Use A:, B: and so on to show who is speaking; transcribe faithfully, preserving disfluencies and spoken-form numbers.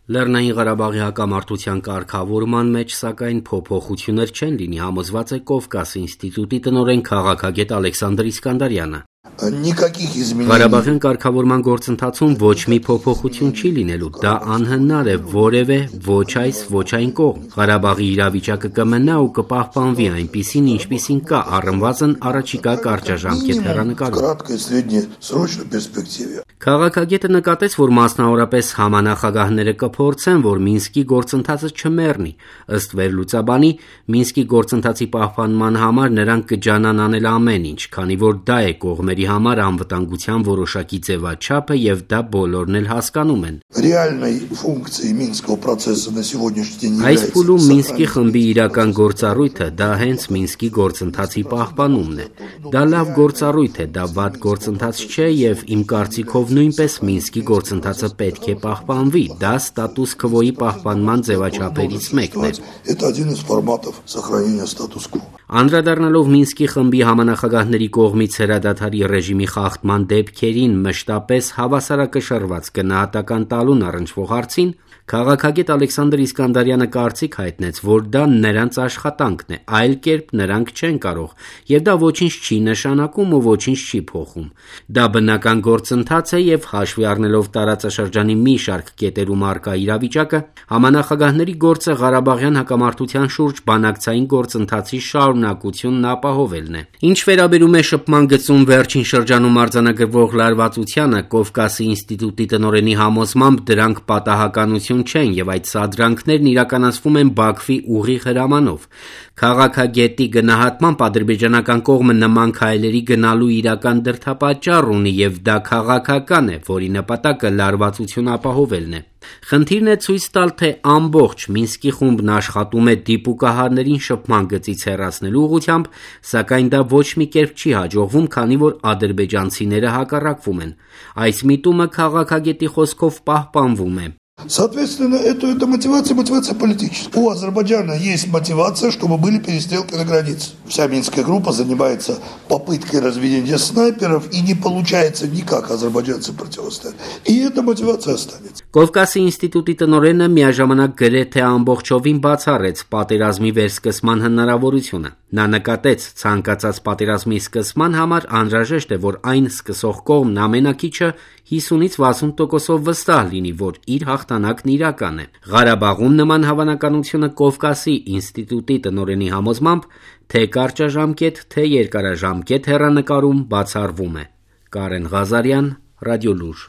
A: Լեռնային Ղարաբաղի հակամարտության կարգավորման մեջ, սակայն, փոփոխություններ չեն լինի, համոզված է Կովկաս ինստիտուտի տնօրեն քաղաքագետ Ալեքսանդր Իսկանդարյանը։ Ղարաբաղյան կարգավորման գործընթացում ոչ մի փոփոխություն չի լինելու, դա անհնար է որևէ ոչ այս, ոչ այն կողմ։ Ղարաբաղի իրավիճակը կմնա ու կպահպանվի այնպիսին, ինչպիսին կա, առնվազն առաջիկա կարճաժամկետ հեռանկարում։ Քաղաքագետը նկատեց, որ մասնավորապես համանախագահները կփորձեն, որ Մինսկի գործընթացը չմեռնի։ Ըստ վերլուծաբանի, Մինսկի գործընթացի պահպանման համար նրանք կջանան անել ամեն ինչ, քանի որ դա է կողմերի համար անվտանգության որոշակի ձևաչափը եւ դա բոլորն էլ հասկանում են։ Այս փուլում Մինսկի խմբի իրական գործառույթը դա հենց Մինսկի գործընթացի պահպանումն է։ Դա լավ գործառույթ է, դա վատ գործընթաց չէ եւ իմ կարծիքով նույնպես Մինսկի գործընթացը պետք է պահպանվի, դա ստատուս քվոյի պահպանման ձևաչափերից մեկն է։ Անդրադառնալով Մինսկի խմբի համանախագահների կողմից հրադադարի ռեժիմի խախտման դեպքերին մշտապես հավասարակշռված գնահատական տալուն առնչվող հարցին, քաղաքագետ Ալեքսանդր Իսկանդարյանը կարծիք հայտնեց, որ դա նրանց աշխատանքն է, այլ կերպ նրանք չեն կարող, եւ դա ոչինչ չի նշանակում ու ոչինչ չի փոխում։ Դա բնական գործընթաց է եւ հաշվի առնելով տարածաշրջանի մի շարք կետերում առկա իրավիճակը, համանախագահների գործը Ղարաբաղյան հակամարտության շուրջ բանակցային գործընթացի շարունակությունն ապահովելն է։ Ինչ վերաբերում է շփման գծում վերջին շրջանում արձանագրվող լարվածությանը, Կովկասի ինստիտուտի տնօրենի համոզմամբ դրանք պատահականություն չեն եւ այդ սադրանքներն իրականացվում են Բաքվի ուղիղ հրամանով։ Քաղաքագետի գնահատմամբ ադրբեջանական կողմը նման քայլերի գնալու իրական դրդապատճառ ունի եւ դա քաղաքական է, որի նպատակը լարվածություն ապահովելն է։ Խնդիրն է ցույց տալ, թե ամբողջ Մինսկի խումբն աշխատում է դիպուկահարներին շփման գծից հեռացնելու ուղղությամբ, սակայն դա ոչ մի կերպ չի հաջողվում, քանի որ ադրբեջանցիները հակառակվում են։ Այս միտումը քաղաքագետի խոսքով պահպանվում է։
B: Соответственно, это, это мотивация, мотивация политическая. У Азербайджана есть мотивация, чтобы были перестрелки на границе. Вся Минская группа занимается попыткой разведения снайперов, и не получается никак азербайджанцы противостоять. И эта мотивация останется.
A: Կովկասի ինստիտուտի տնօրենը միաժամանակ գրեթե ամբողջովին բացառեց պատերազմի վերսկսման հնարավորությունը։ Նա նկատեց, ցանկացած պատերազմի սկսման համար անհրաժեշտ է, որ այն սկսող կողմն ամենակիչը հիսունից վաթսուն տոկոսով վստահ լինի, որ իր հաղթանակն իրական է։ Ղարաբաղում նման հավանականությունը Կովկասի ինստիտուտի տնօրենի համոզմամբ թե կարճաժամկետ, թե երկարաժամկետ հեռանկարում բացառվում է։ Կարեն Ղազարյան, Ռադիոլուր։